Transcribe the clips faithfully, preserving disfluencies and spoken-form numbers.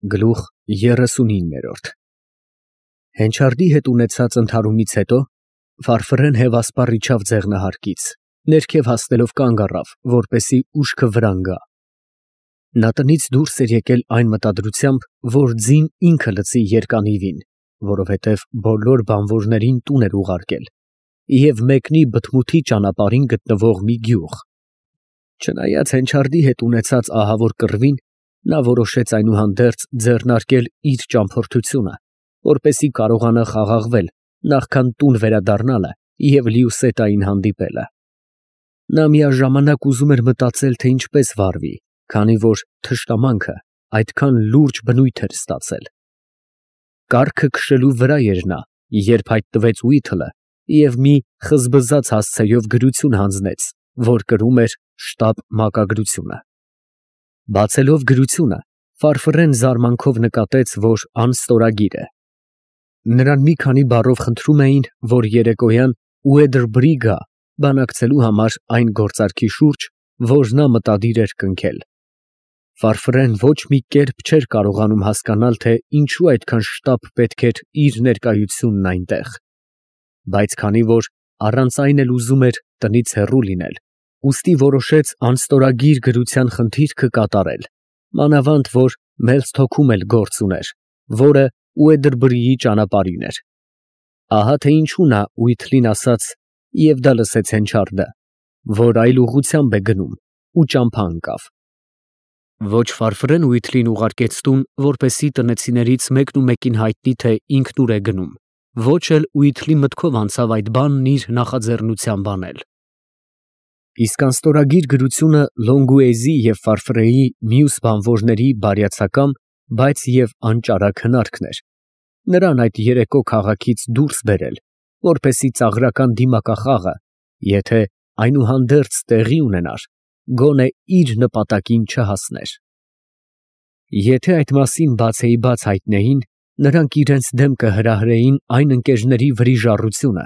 Գլուխ երեսունիններորդ Հենչարդի հետ ունեցած ընդհարումից հետո Ֆարֆռեն հևասպառ իջավ ձեղնահարկից, ներքև հասնելով կանգ առավ, որպեսզի ուշքը վրան գա։ Նա տնից դուրս էր եկել այն մտադրությամբ, որ ձին ինքը լցի երկանիվին, որովհետև բոլոր բանվորներին տուն էր ուղարկել, և մեկնի բթմութի ճանապարհին գտնվող մի գյուղ։ Չնայած Հենչարդի հետ ունեցած ահավոր կռվին, նա որոշեց այնուհանդերձ ձեռնարկել իր ճամփորդությունը, որպեսզի կարողանա խաղաղվել, նախքան տուն վերադառնալը և Լիուսետային հանդիպելը։ Նա միաժամանակ ուզում էր մտածել, թե ինչպես վարվի, քանի որ թշնամանքը այդքան լուրջ բնույթ էր ստացել։ Կառքը քշելու վրա էր նա, երբ հայտնվեց Ուիթլը և մի խզբզաց հասցեով գրություն հանձնեց, որ կրում էր «Շտապ մակագրությունը»։ Բացելով գրությունը, Ֆարֆռեն զարմանքով նկատեց, որ անստորագիր է։ Նրան մի քանի բառով խնդրում էին, որ երեկոյան Ուեդրբրի գա բանակցելու համար այն գործարքի շուրջ, որ նա մտադիր էր կնքել։ Ֆարֆռեն ոչ մի կերպ չէր կարողանում հասկանալ, թե ինչու այդքան շտապ պետք էր իր ներկայությունն այնտեղ, բայց քանի որ առանց այն էլ ուզում էր տնից հեռու լինել, ուստի որոշեց անստորագիր գրության խնդիրքը կատարել, մանավանդ որ Մելսթոքում էլ գործ ուներ, որը Ուեդրբրիի ճանապարհին էր։ Ահա թե ինչու նա Ուիթլին ասաց, և դա լսեց Հենչարդը, որ այլ ուղղությամբ է գնում, ու ճամփա ընկավ։ Ոչ Ֆարֆռեն Ուիթլին ուղարկեց տուն, որպեսզի տնեցիներից մեկն ու մեկին հայտնի, թե ինքն ուր է գնում, ոչ էլ Ուիթլի մտքով անցավ այդ բանն իր նախաձեռնությամբ անել։ Իսկ անստորագիր գրությունը Լոնգուեզի և Ֆարֆռեի մյուս բանվորների բարյացակամ, բայց և անճարակ հնարքն էր, նրան այդ երեկո քաղաքից դուրս բերել, որպեսզի ծաղրական դիմակախաղը, եթե այնուհանդերձ տեղի ունենար, գոնե իր նպատակին չհասներ։ Եթե այդ մասին բացեիբաց հայտնեին, նրանք իրենց դեմքը հրահրեին այն ընկերների վրիժառությունը,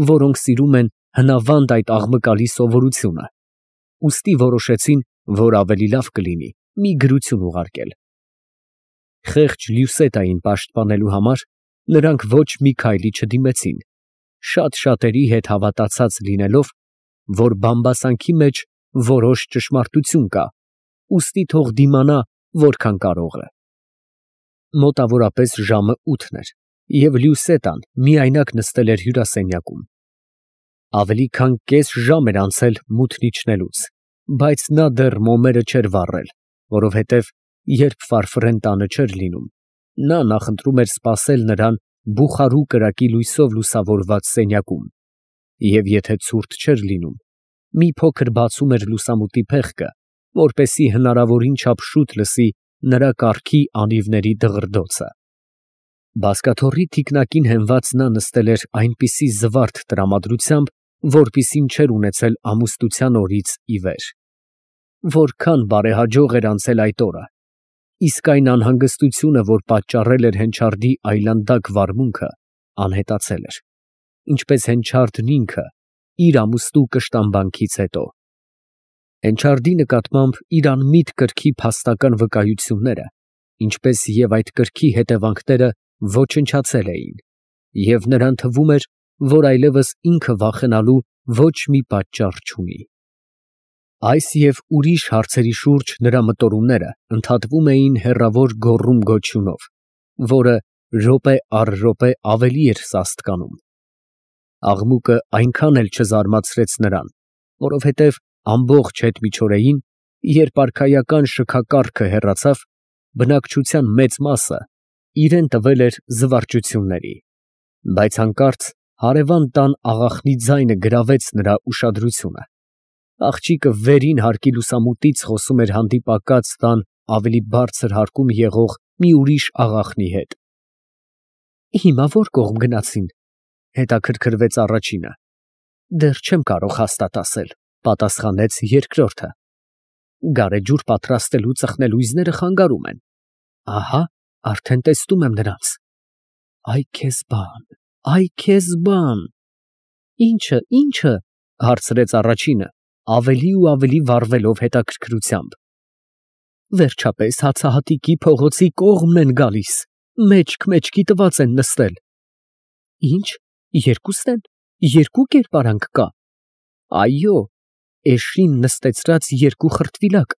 որոնք սիրում են հնավանդ այդ աղմկալի սովորությունը, ուստի որոշեցին, որ ավելի լավ կլինի մի գրություն ուղարկել։ Խեղճ Լյուսետային պաշտպանելու համար նրանք ոչ մի քայլի չդիմեցին, շատ շատերի հետ հավատացած լինելով, որ բամբասանքի մեջ որոշ ճշմարտություն կա, ուստի թող դիմանա որքան կարող է։ Մոտավորապես ժամը ութն էր, և Լյուսետան միայնակ նստել էր հյուրասենյակում։ Ավելի քան կես ժամ էր անցել մութն իջնելուց, բայց նա դեռ մոմերը չէր վառել, որովհետև երբ Ֆարֆռեն տանը չէր լինում, նա նախընտրում էր սպասել նրան բուխարու կրակի լույսով լուսավորված սենյակում, և եթե ցուրտ չէր լինում, մի փոքր բացում էր լուսամուտի փեղկը, որպեսզի հնարավորին չափ շուտ լսի նրա կառքի անիվների դղրդոցը։ Բազկաթոռի թիկնակին հենված նա նստել էր այնպիսի զվարթ տրամադրությամբ, որպիսին չէր ունեցել ամուսնության օրից ի վեր։ Որքան բարեհաջող էր անցել այդ օրը, իսկ այն անհանգստությունը, որ պատճառել էր Հենչարդի այլանդակ վարմունքը, անհետացել էր, ինչպես Հենչարդն ինքը իր ամուսնու կշտամբանքից հետո։ Հենչարդի նկատմամբ իր անմիտ կրքի փաստական վկայությունները, ինչպես և այդ կրքի հետևանքները ոչնչացել էին, և նրան թվում էր, որ այլևս ինքը վախենալու ոչ մի պատճառ չունի։ Այս և ուրիշ հարցերի շուրջ նրա մտորումները ընդհատվում էին հեռավոր գոռում֊գոչյունով, որը րոպե առ րոպե ավելի էր սաստկանում։ Աղմուկը այնքան էլ չզարմացրեց նրան, որովհետև ամբողջ հետմիջօրեին, երբ արքայական շքակառքը հեռացավ, բնակչության մեծ մասը իրեն տվել էր զվարճությունների, բայց հանկարծ հարևան տան աղախնի ձայնը գրավեց նրա ուշադրությունը։ Աղջիկը վերին հարկի լուսամուտից խոսում էր հանդիպակաց տան ավելի բարձր հարկում եղող մի ուրիշ աղախնի հետ։ «Հիմա ո՞ր կողմ գնացին», ֊ հետաքրքրվեց առաջինը։ «Դեռ չեմ կարող հաստատ ասել», ֊ պատասխանեց երկրորդը։ «Գարեջուր պատրաստելու ծխնելույզները խանգարում են։ Ահա, արդեն տեսնում եմ նրանց։ Այ քեզ բան, այ քեզ բան»։ «Ի՞նչը, ի՞նչը», ֊ հարցրեց առաջինը, ավելի ու ավելի վառվելով հետաքրքրությամբ։ Վերջապես հացահատիկի փողոցի կողմն են գալիս, մեջք-մեջքի տված են նստել։ Ինչ, երկուսն են, երկու կերպարանք կա։ Այո, էշին նստեցրած երկու խրտվիլակ,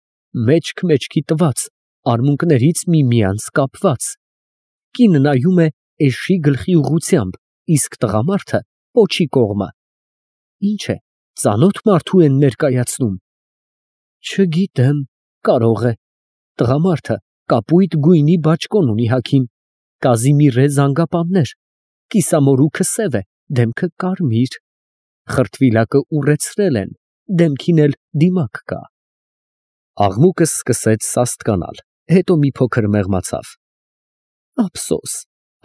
մեջք-մեջքի տված, արմունկներից միմյանց կապված։ Կինը նայում է էշի գլխի ուղղությամբ, իսկ տղամարդը պոչի կողմը։ Ինչ է, ծանոթ մարդու են ներկայացնում։ Չգիտեմ, կարող է։ Տղամարդը կապույտ գույնի բաճկոն ունի հագին, կազիմիրե զանգապաններ, կիսամորուքը սև է, դեմքը կարմիր, խրտվիլակը ուռեցրել են, դեմքին էլ դիմակ կա։ Աղմուկը սկսեց սաստկանալ, հետո մի փոքր մեղմացավ։ Ափսոս,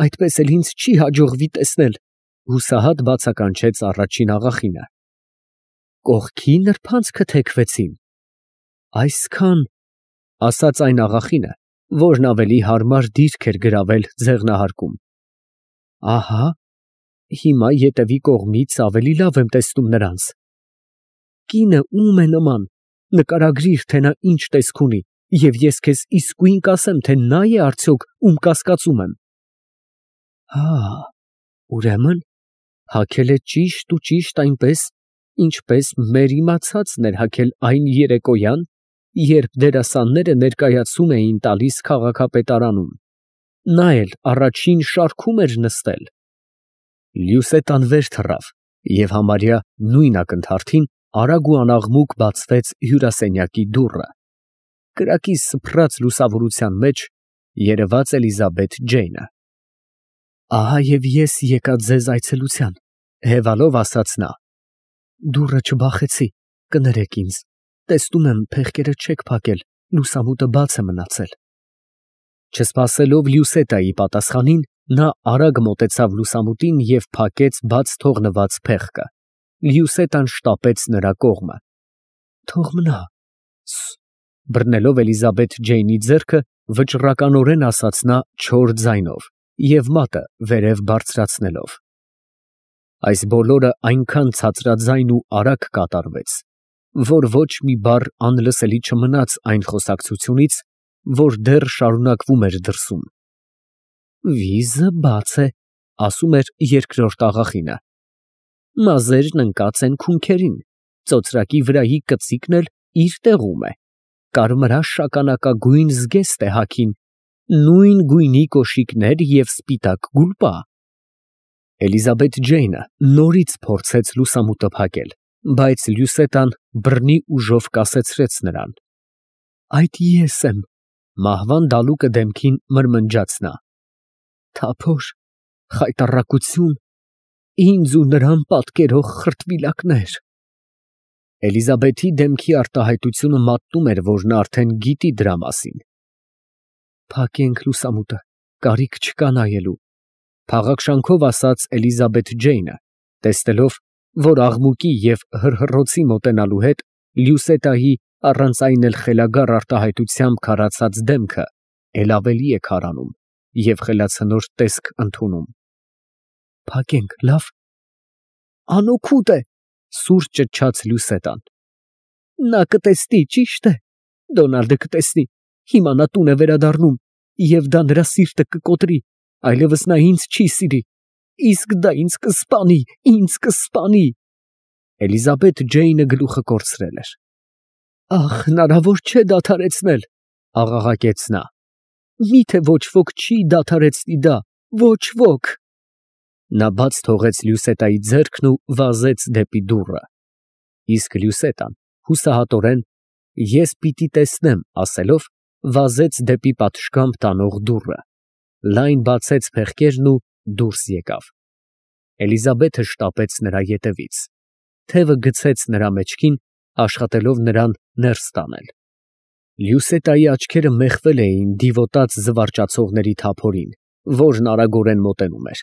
այդպես էլ ինձ չի հաջողվի տեսնել, հուսահատ բացականչեց առաջին աղախինը։ Կողքի նրբանցքը թեքվեցին։ Այսքան, ասաց այն աղախինը, որն ավելի հարմար դիրք էր գրավել ձեղնահարկում։ Ահա, հիմա ետևի կողմից ավելի լավ եմ տեսնում նրանց։ Կինը ում է նման, նկարագրիր, թե նա ինչ տեսք ունի, և ես քեզ իսկույն կասեմ, թե նա է արդյոք, ում կասկածում եմ։ Հա, ուրեմն, հագել է ճիշտ ու ճիշտ այնպես, ինչպես մեր իմացածն էր հագել այն երեկոյան, երբ դերասանները ներկայացում էին տալիս քաղաքապետարանում։ Նա էլ առաջին շարքում էր նստել։ Լյուսետան վեր թռավ, և համարյա նույն ակնթարթին արագ ու անաղմուկ բացվեց հյուրասենյակի դուռը։ Կրակի սփռած լուսավորության մեջ երևաց Էլիզաբեթ Ջեյնը։ Ահա և ես եկա ձեզ այցելության, հևալով ասաց նա։ Դուռը չբախեցի, կներեք ինձ, տեսնում եմ փեղկերը չեք փակել, լուսամուտը բաց է մնացել։ Չսպասելով Լյուսետայի պատասխանին, նա արագ մոտեցավ լուսամուտին և փակեց բաց թողնված փեղկը։ Լյուսետան շտապեց նրա կողմը։ Թող մնա, բռնելով Էլիզաբեթ Ջեյնի ձեռքը, վճռականորեն ասաց նա չոր ձայնով և մատը վերև բարձրացնելով։ Այս բոլորը այնքան ցածրաձայն ու արագ կատարվեց, որ ոչ մի բառ անլսելի չմնաց այն խոսակցությունից, որ դեռ շարունակվում էր դրսում։ Վիզը բաց է, ասում էր երկրորդ աղախինը։ Մազերն ընկած են քունքերին, ծոծրակի վրայի կծիկն էլ իր տեղում է, կարմրաշ շագանակագույն զգեստ է հագին, նույն գույնի կոշիկներ և սպիտակ գուլպա։ Էլիզաբեթ Ջեյնը նորից փորձեց լուսամուտը փակել, բայց Լյուսետան բռնի ուժով կասեցրեց նրան։ Այդ ես եմ, մահվան դալուկը դեմքին մրմնջաց նա։ Թափոր, խայտառակություն, ինձ ու նրան պատկերող խրտվիլակներ։ Էլիզաբեթի դեմքի արտահայտությունը մատնում էր, որ նա արդեն գիտի դրա մասին։ Փակենք լուսամուտը, կարիք չկա նայելու, փաղաքշանքով ասաց Էլիզաբեթ Ջեյնը, տեսնելով, որ աղմուկի և հռհռոցի մոտենալու հետ Լյուսետայի առանց այն էլ խելագար արտահայտությամբ քարացած դեմքը էլ ավելի է քարանում և խելացնոր տեսք ընդունում։ Փակենք, լավ։ Անօգուտ է, սուր ճչաց Լյուսետան։ Նա կտեսնի, ճիշտ է, Դոնալդը կտեսնի, հիմա նա տուն է վերադառնում, և դա նրա սիրտը կկոտրի, այլևս նա ինձ չի սիրի, իսկ դա ինձ կսպանի, ինձ կսպանի։ Էլիզաբեթ Ջեյնը գլուխը կորցրել էր։ Ախ, հնարավոր չէ դադարեցնել, աղաղակեց նա։ Միթե ոչ ոք չի դադարեցնի դա, ոչ ոք։ Նա բաց թողեց Լյուսետայի ձեռքն ու վազեց դեպի դուռը։ Իսկ Լյուսետան հուսահատորեն ես պիտի տեսնեմ ասելով վազեց դեպի պատշգամբ տանող դուռը, լայն բացեց փեղկերն ու դուրս եկավ։ Էլիզաբեթը շտապեց նրա ետևից, թևը գցեց նրա մեջքին, աշխատելով նրան ներս տանել։ Լյուսետայի աչքերը մեխվել էին դիվոտած զվարճացողների թափորին, որն արագորեն մոտենում էր։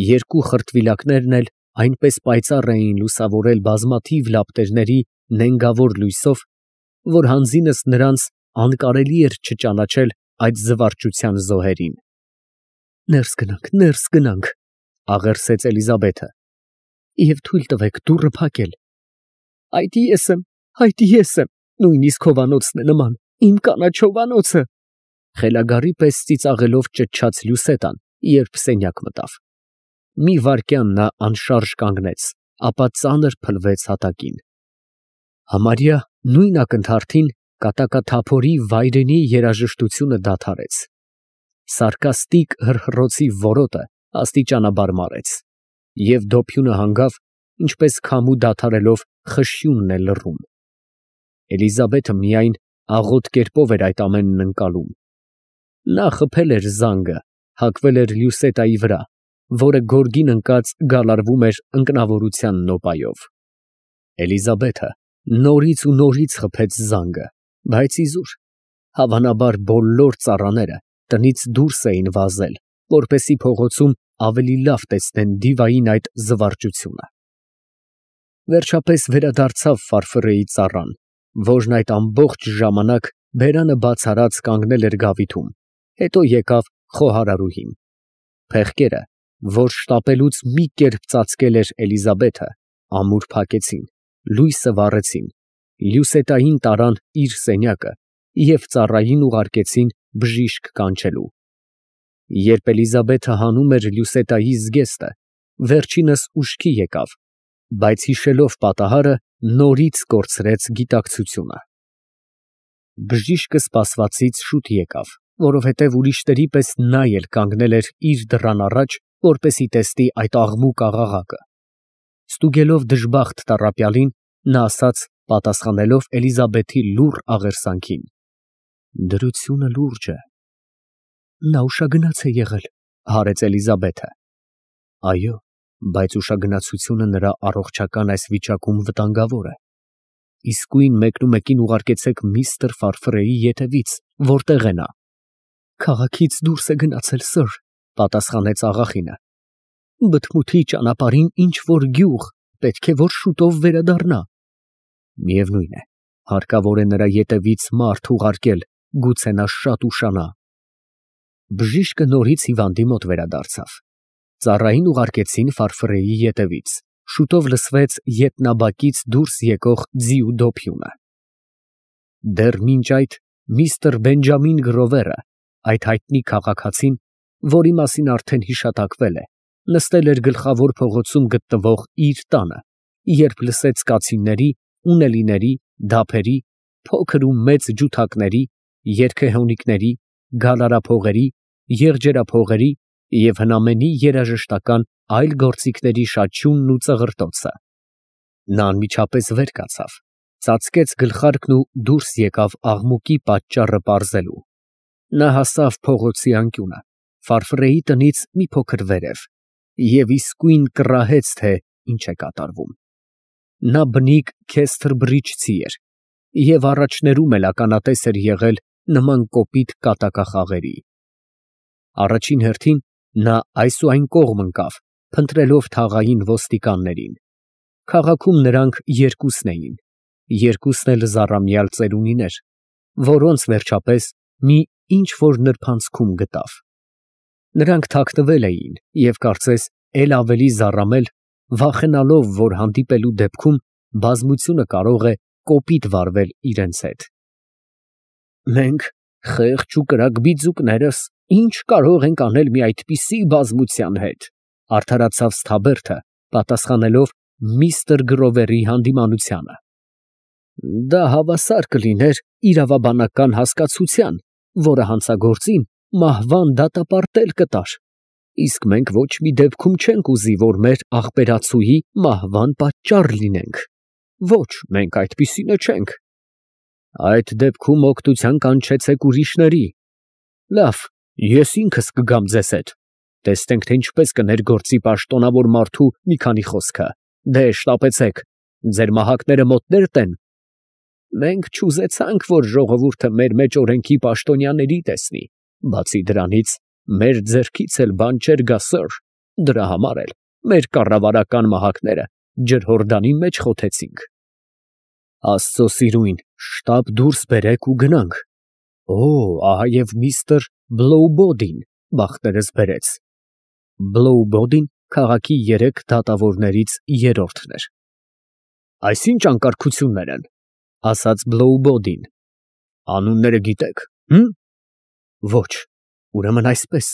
Երկու խրտվիլակներն էլ այնպես պայծառ էին լուսավորել բազմաթիվ լապտերների նենգավոր լույսով, որ հանձինս նրանց անկարելի էր չճանաչել այդ զվարճության զոհերին։ Ներս գնանք, ներս գնանք, աղերսեց Էլիզաբեթը, և թույլ տվեք դուռը փակել։ Այդ ես եմ, այդ ես եմ, նույնիսկ հովանոցն է նման, Իմ կանաչովանոցը։ Խելագարի պես ծիծաղելով ճչաց Լյուսետան, երբ սենյակ մտավ։ Մի վայրկյան նա անշարժ կանգնեց, ապա ծանր փլվեց հատակին։ Համարյա նույն ակնթարթին կատակաթափորի վայրենի երաժշտությունը դադարեց։ Սարկաստիկ հռհռոցի որոտը աստիճանաբար մարեց, և դոփյունը հանգավ, ինչպես քամու դադարելով խշյունն է լռում։ Էլիզաբեթը միայն աղոտ կերպով էր այդ ամենն ընկալում։ Նա խփել էր զանգը, հագվել էր Լյուսետայի վրա, որը գորգին ընկած գալարվում էր ընկնավորության նոպայով։ Էլիզաբեթը նորից ու նորից խփեց զանգը, բայց իզուր, հավանաբար բոլոր ծառաները տնից դուրս էին վազել, որպեսզի փողոցում ավելի լավ տեսնեն դիվային այդ զվարճությունը։ Վերջապես վերադարձավ Ֆարֆռեի ծառան, որն այդ ամբողջ ժամանակ բերանը բաց արած կանգնել էր գավիթում, հետո եկավ խոհարարուհին։ Փեղկերը, որ շտապելուց մի կերպ ծածկել էր Էլիզաբեթը, ամուր փակեցին, լույսը վառեցին, Լյուսետային տարան իր սենյակը և ծառային ուղարկեցին բժիշկ կանչելու։ Երբ Էլիզաբեթը հանում էր Լյուսետայի զգեստը, վերջինս ուշքի եկավ, բայց հիշելով պատահարը, նորից կորցրեց գիտակցությունը։ Բժիշկը սպասվածից շուտ եկավ, որովհետև ուրիշների պես նա էլ կանգնել էր իր դռան առաջ, որպեսզի տեսնի այդ աղմուկ աղաղակը։ Ստուգելով դժբախտ տառապյալին, նա ասաց, պատասխանելով Էլիզաբեթի լուռ աղերսանքին. «Դրությունը լուրջ է»։ Նա ուշագնաց է եղել, հարեց Էլիզաբեթը։ Այո, բայց ուշագնացությունը նրա առողջական այս վիճակում վտանգավոր է։ Իսկույն մեկնումեկին ուղարկեցեք միստր Ֆարֆռեի ետևից, որտեղ է նա։ Քաղաքից դուրս է գնացել, սըր, պատասխանեց աղախինը։ Բթմութի ճանապարհին ինչ որ գյուղ, պետք է որ շուտով վերադառնա։ Միևնույն է, հարկավոր է նրա ետևից մարդ ուղարկել, գուցե նա շատ ուշանա։ Բժիշկը նորից հիվանդի մոտ վերադարձավ։ Ծառային ուղարկեցին Ֆարֆռեի ետևից։ Շուտով լսվեց ետնաբակից դուրս եկող ձիու դոփյունը։ Դեռ մինչ այդ միստր Բենջամին Գրովերը, այդ հայտնի քաղաքացին, որի մասին արդեն հիշատակվել է, նստել էր գլխավոր փողոցում գտնվող իր տանը, երբ լսեց կացինների, ունելիների, դափերի, փոքր ու մեծ ջութակների, երգեհոնիկների, գալարափողերի, եղջերափողերի և հնամենի երաժշտական այլ գործիքների շաչյունն ու ծղրտոցը։ Նա անմիջապես վեր կացավ, ծածկեց գլխարկն ու դուրս եկավ աղմուկի պատճառը պարզելու։ Նա հասավ փողոցի անկյունը, Ֆարֆռեի տնից մի փոքր վերև, և իսկույն կռահեց, թե ինչ է կատարվում։ Նա բնիկ քեսթրբռիջցի էր և առաջներում էլ ականատես էր եղել նման կոպիտ կատակախաղերի։ Առաջին հերթին նա այս ու այն կողմ ընկավ, փնտրելով թաղային ոստիկաններին։ Քաղաքում նրանք երկուսն էին, երկուսն էլ զառամյալ ծերունիներ, որոնց վերջապես մի ինչ֊որ նրբանցքում գտավ։ Նրանք թաքնվել էին և կարծես էլ ավելի զառամել, վախենալով, որ հանդիպելու դեպքում բազմությունը կարող է կոպիտ վարվել իրենց հետ։ Մենք, խեղճ ու կրակ բիձուկներս, ինչ կարող ենք անել մի այդպիսի բազմության հետ, արդարացավ Սթաբերդը, պատասխանելով միստր Գրովերի հանդիմանությանը։ Դա հավասար կլիներ իրավաբանական հասկացության, որը հանցագործին մահվան դատապարտել կտար, իսկ մենք ոչ մի դեպքում չենք ուզի, որ մեր աղբերացուի մահվան պատճառ լինենք։ Ոչ, մենք այդպիսինը չենք։ Այդ դեպքում օգնության կանչեցեք ուրիշների։ Լավ, ես ինքս կգամ ձեզ հետ, տեսնենք, թե ինչպես կներգործի պաշտոնավոր մարդու մի քանի խոսքը։ Դե, շտապեցեք, ձեր մահակները մոտներդ են։ Մենք չուզեցանք, որ ժողովուրդը մեր մեջ օրենքի պաշտոնյաների տեսնի, բացի դրանից, մեր ձեռքից էլ բան չէր գա, սըր, դրա համար էլ մեր կառավարական մահակները ջրհորդանի մեջ խոթեցինք։ Աստծո սիրուն, շտապ դուրս բերեք ու գնանք։ Օ, ահա և միստր Բլոուբոդին բախտերս բերեց։ Բլոուբոդին քաղաքի երեք դատավորներից երրորդն էր։ Այս ի՞նչ անկարգություններ են, ասաց Բլոուբոդին։ Անունները գիտեք, հմ։ Ոչ, ուրեմն այսպես,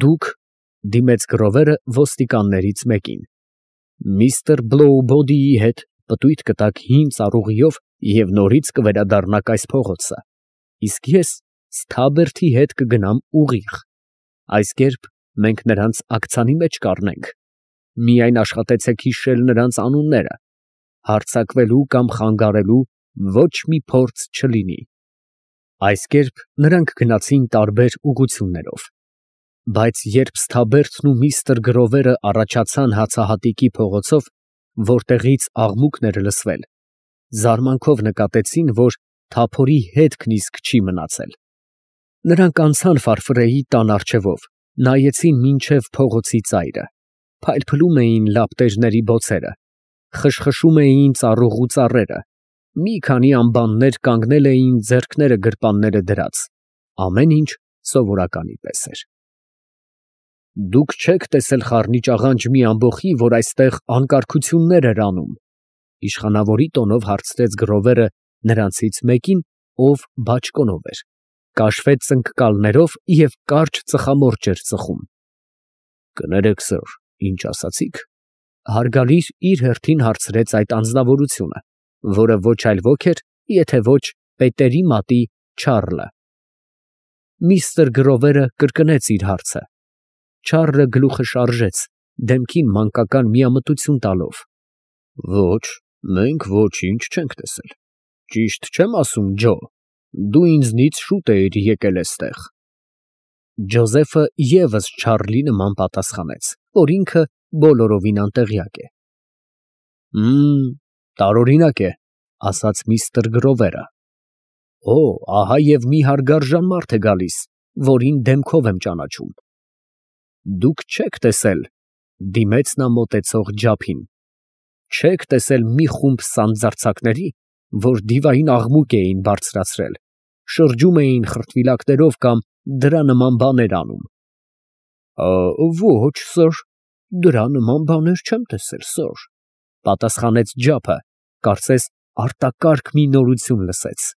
դուք, դիմեց Գրովերը ոստիկաններից մեկին, միստր Բլոուբոդիի հետ պտույտ կտաք հին ծառուղիով և նորից կվերադառնաք այս փողոցը, իսկ ես Սթաբերթի հետ կգնամ ուղիղ, այս կերպ մենք նրանց աքցանի մեջ կառնենք, միայն աշխատեցեք հիշել նրանց անունները, հարձակվելու կամ խանգարելու ոչ մի փորձ չլինի։ Այս կերպ նրանք գնացին տարբեր ուղղություններով, բայց երբ Սթաբերթն ու միստր Գրովերը առաջացան հացահատիկի փողոցով, որտեղից աղմուկն էր լսվել, զարմանքով նկատեցին, որ թափորի հետքն իսկ չի մնացել։ Նրանք անցան Ֆարֆրեի տան առջևով, նայեցին մինչև փողոցի ծայրը, փայլփլում էին լապտերների բոցերը, խշխշում էին ծառուղու ծառերը, մի քանի ամբաններ կանգնել էին ձեռքները գրպանները դրած, ամեն ինչ սովորականի պես էր։ Դուք չեք տեսել խառնիճաղանճ մի ամբոխի, որ այստեղ անկարգություններ էր անում, իշխանավորի տոնով հարցրեց Գրովերը նրանցից մեկին, ով բաճկոնով էր, կաշվե ծնկկալներով և կարճ ծխամորճ էր ծխում։ Կներեք, սըր, ինչ ասացիք, հարգալից իր հերթին հարցրեց այդ անձնավորությունը, որը ոչ այլ ոք էր, եթե ոչ Պետերի մատի Չարլը։ Միստր Գրովերը կրկնեց իր հարցը։ Չարլը գլուխը շարժեց, դեմքին մանկական միամտություն տալով։ Ոչ, մենք ոչինչ չենք տեսել։ Ճիշտ չեմ ասում, Ջո, դու ինձնից շուտ էիր եկել էստեղ։ Ջոզեֆը ևս Չարլի նման պատասխանեց, որ ինքը բոլորովին անտեղյակ է։ Մմ, տարօրինակ է, ասաց միստր Գրովերը։ Օ, ահա և մի հարգարժան մարդ է գալիս, որին դեմքով եմ ճանաչում։ Դուք չեք տեսել, դիմեց նա մոտեցող ջափին, չեք տեսել մի խումբ սանձարձակների, որ դիվային աղմուկ էին բարձրացրել, շրջում էին խրտվիլակներով կամ դրա նման բաներ անում։ Ոչ, սըր, դրա նման բաներ չեմ տեսել, սըր, պատասխանեց ջափը, կարծես արտակարգ մի նորություն լսեց։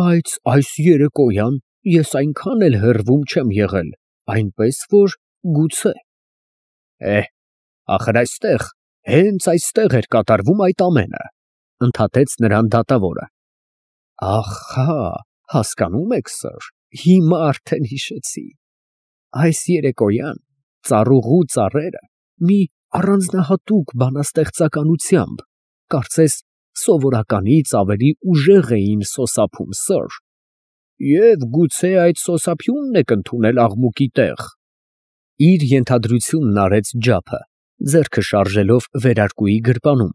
Բայց այս երեկոյան ես այնքան էլ հեռվում չեմ եղել, այնպես որ գուցե։ Էհ, ախր այստեղ, հենց այստեղ էր կատարվում այդ ամենը, ընդհատեց նրան դատավորը։ Ահա, հասկանում եք, սըր, հիմա արդեն հիշեցի։ Այս երեկոյան ծառուղու ծառերը մի առանձնահատուկ բանաստեղծականությամբ, կարծես սովորականից ավելի ուժեղ էին սոսափում, սըր, և գուցե այդ սոսափյունն եք ընդունել աղմուկի տեղ։ Իր ենթադրությունն արեց ջափը, ձեռքը շարժելով վերարկուի գրպանում,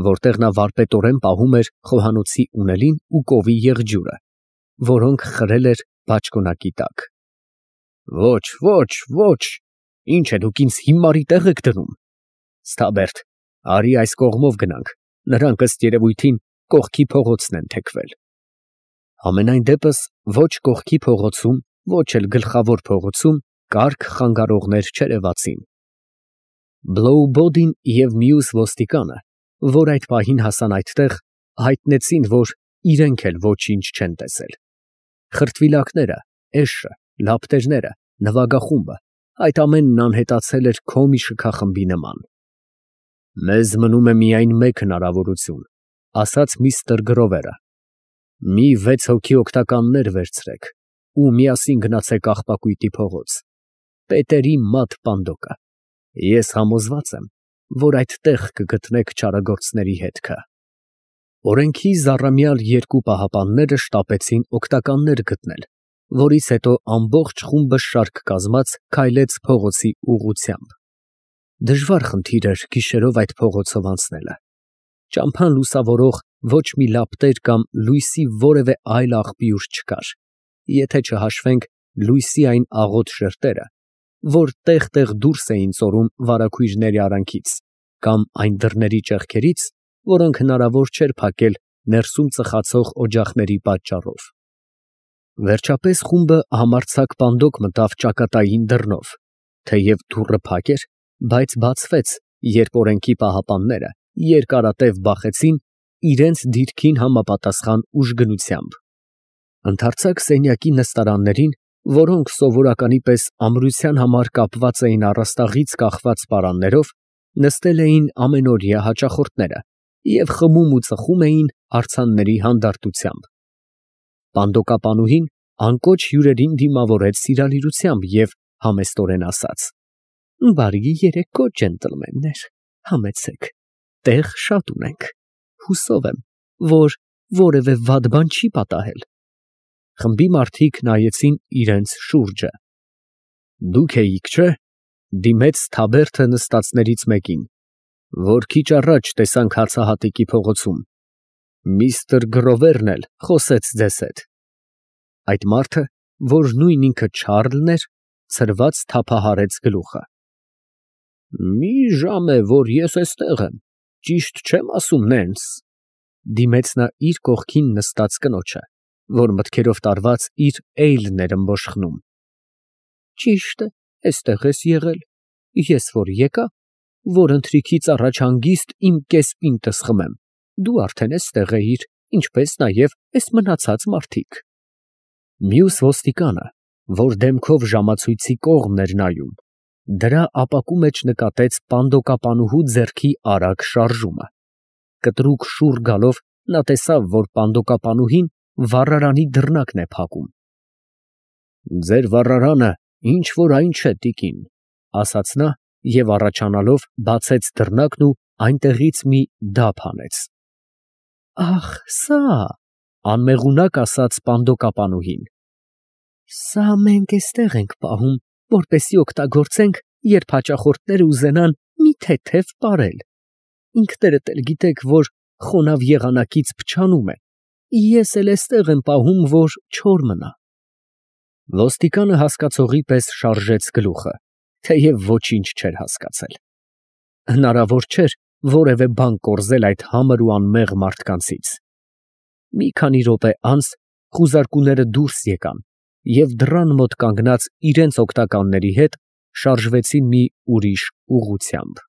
որտեղ նա վարպետորեն պահում էր խոհանոցի ունելին ու կովի եղջյուրը, որոնք խրել էր բաճկոնակի տակ։ Ոչ, ոչ, ոչ, ինչ է դուք ինձ հիմարի տեղ եք դնում։ Սթաբերթ, արի այս կողմով գնանք, նրանք ըստ երևույթին կողքի փողոցն են թեքվել։ Համենայն դեպս ոչ կողքի փողոցում, ոչ էլ գլխավոր փողոցում կարգ խանգարողներ չերևացին։ Բլոուբոդին և մյուս ոստիկանը, որ այդ պահին հասան այդտեղ, հայտնեցին, որ իրենք էլ ոչինչ չեն տեսել։ Խրտվիլակները, էշը, լապտերները, նվագախումբը, այդ ամենն անհետացել էր քոմի շքախմբի նման։ Մեզ մնում է միայն մեկ հնարավորություն, ասաց միստր Գրովերը։ Մի վեց հոգի օգնականներ վերցրեք ու միասին գնացեք աղբակույտի փողոց, Պետերի մատ պանդոկը։ Ես համոզված եմ, որ այդտեղ կգտնեք չարագործների հետքը։ Օրենքի զառամյալ երկու պահապանները շտապեցին օգնականներ գտնել, որից հետո ամբողջ խումբը շարք կազմած քայլեց փողոցի ուղղությամբ։ Դժվար խնդիր էր գիշերով այդ փողոցով անցնելը։ Ճամփան լուսավորող ոչ մի լապտեր կամ լույսի որևէ այլ աղբյուր չկար, եթե չհաշվենք լույսի այն աղոտ շերտերը, որ տեղ֊տեղ դուրս էին ծորում վարագույրների արանքից, կամ այն դռների ճեղքերից, որոնք հնարավոր չէր փակել ներսում ծխացող օջախների պատճառով։ Վերջապես խումբը համարձակ պանդոկ մտավ ճակատային դռնով, թեև դուռը փակ էր, բայց բացվեց, երբ օրենքի պահապանները երկարատև բախեցին իրենց դիրքին համապատասխան ուժգնությամբ։ Ընդարձակ սենյակի նստարաններին, որոնք սովորականի պես ամրության համար կապված էին առաստաղից կախված պարաններով, նստել էին ամենօրյա հաճախորդները և խմում ու ծխում էին արձանների հանդարտությամբ։ Պանդոկապանուհին անկոչ հյուրերին դիմավորեց սիրալիրությամբ և համեստորեն ասաց. «Բարի երեկո, ջենտլմեններ, համեցեք, տեղ շատ ունենք, հուսով եմ, որ որևէ վատ բան չի պատահել»։ Խմբի մարդիկ նայեցին իրենց շուրջը։ «Դուք էիք, չէ՞, դիմեց թաբերդը նստածներից մեկին, որ քիչ առաջ տեսանք հացահատիկի փողոցում, միստր Գրովերն էլ խոսեց ձեզ հետ»։ Այդ մարդը, որ նույն ինքը Չարլն էր, ցրված թափահարեց գլուխը։ «Մի ժամ է, որ ես էստեղ եմ, ճիշտ չեմ ասում, Նենս», դիմեց նա իր կողքին նստած կնոջը, որ մտքերով տարված իր էյլն էր ըմբոշխնում։ «Ճիշտ է, էստեղ ես եղել, ես որ եկա, որ ընթրիքից առաջ հանգիստ իմ կես պինտս խմեմ, դու արդեն էստեղ էիր, ինչպես նաև էս մնացած մարդիկ»։ Մյուս ոստիկանը, որ դեմքով ժամացույցի կողմն էր նայում, դրա ապակու մեջ նկատեց պանդոկապանուհու ձեռքի արագ շարժումը։ Կտրուկ շուռ գալով նա տեսավ, որ պանդոկապանուհին վառարանի դռնակն է փակում։ «Ձեր վառարանը ինչ որ այն չէ, տիկին», ասաց նա և առաջանալով բացեց դռնակն ու այնտեղից մի դափ հանեց։ «Ախ, սա՞, անմեղունակ ասաց պանդոկապանուհին։ Սա մենք էստեղ ենք պահում, որպեսզի օգտագործենք, երբ հաճախորդները ուզենան մի թեթև պարել։ Ինքներդ էլ գիտեք, որ խոնավ եղանակից փչանում է, ես էլ էստեղ եմ պահում, որ չոր մնա»։ Ոստիկանը հասկացողի պես շարժեց գլուխը, թեև ոչինչ չէր հասկացել։ Հնարավոր չէր որևէ բան կորզել այդ համր ու անմեղ մարդկանցից։ Մի քանի րոպե անց խուզարկուները դուրս եկան և դռան մոտ կանգնած իրենց օգնականների հետ շարժվեցին մի ուրիշ ուղղությամբ։